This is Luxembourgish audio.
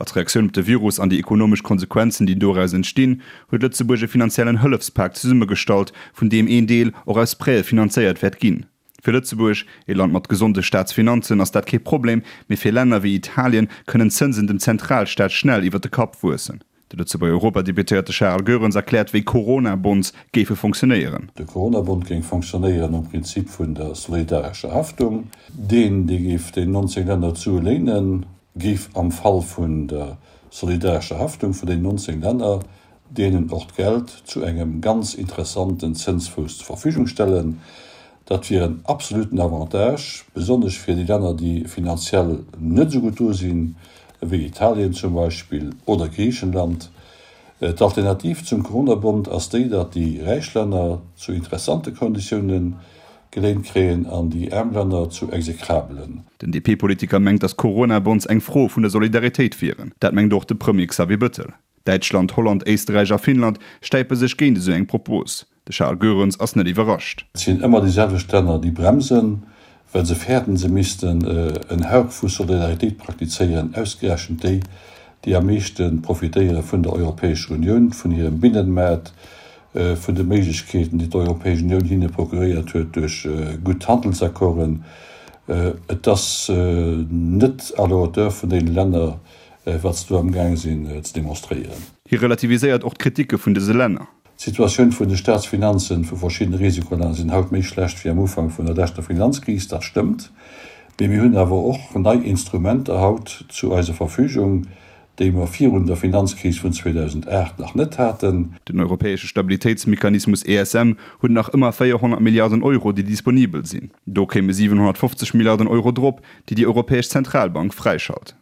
Als Reaktioun op de Virus an déi ekonomesch Konsequenzen, déi doraus entstinn, huet Lëtzebuerg e finanziellen Hëllefspak zesummegestallt, vun deem een Deel och aus Prêtë finanzéiert wäert ginn. Fir Lëtzebuerg, ee Land mat gesonde Staatsfinanzen, ass dat kee Problem, mee fir Länner wéi Italien kënnen d'Zënsen dem Zentralstaat schnell iwwer de Kapp wuessen. De Lëtzebuerger Europadeputéierte Charel Goerens erkläert, wéi Corona-Bonds géife fonctionéieren. De Corona-Bond géing fonctionnéieren nom Prinzip vun der solidarescher Haftung. Deen, dee géif den 19 Länner d'Sue léinen, géif am Fall vun der solidarescher Haftung vun den 19 Länner deenen och d'Geld zu engem ganz interessanten Zënsfouss zur Verfügung stellen. Dat wier en absoluten Avantage, besonnesch fir déi Länner, déi finanziell net esou gutt do sinn, ewéi Italien zum Beispill oder Griichenland. D'Alternativ zum Coronabond ass déi, datt déi räich Länner zu interessante Konditioune geléint kréien an déi aarm Länner zu exekrabelen. Den DP-Politiker mengt, datt Corona-Bonds eng Fro vun der Solidaritéit wieren. Dat mengt och de Premier Xavier Bëttel. Däitschland, Holland, Éisterräich a Finnland stäipe sech géint esou eng Propos. De Charles Goerens ass net iwwerrascht. Et sinn ëmmer déi selwecht Länner, déi bremsen, well se fäerten, se missten en Hauch vu Solidaritéit praktizéieren, ausgerechent déi, déi am meeschte profitéiere vun der Europäescher Unioun, vun hirem Binnenmaart, vun de Méiglechkeeten, déi d'Europäesch Unioun hinne procuréiert huet duerch gutt Handelsaccorden. Et ass net à la hauteur vun deene Länner, wat se do amgaang sinn ze demonstréieren. Hie relativiséiert och d'Kritike vun dëse Länner. D'Situatioun vun de Staatsfinanzen vu verschiddene Risikolänner sinn haut méi schlecht wéi am Ufank vun der leschter Finanzkris, dat stëmmt. Mee mir hunn awer och nei Instrumenter haut zu eiser Verfügung, déi mer virun der Finanzkris vun 2008 nach net haten. Den europäesche Stabilitéitsmechanismus ESM huet nach ëmmer 400 Milliarden Euro, déi disponibel sinn. Do kéime 750 Milliarden Euro drop, déi déi Europäesch Zentralbank fräischalt.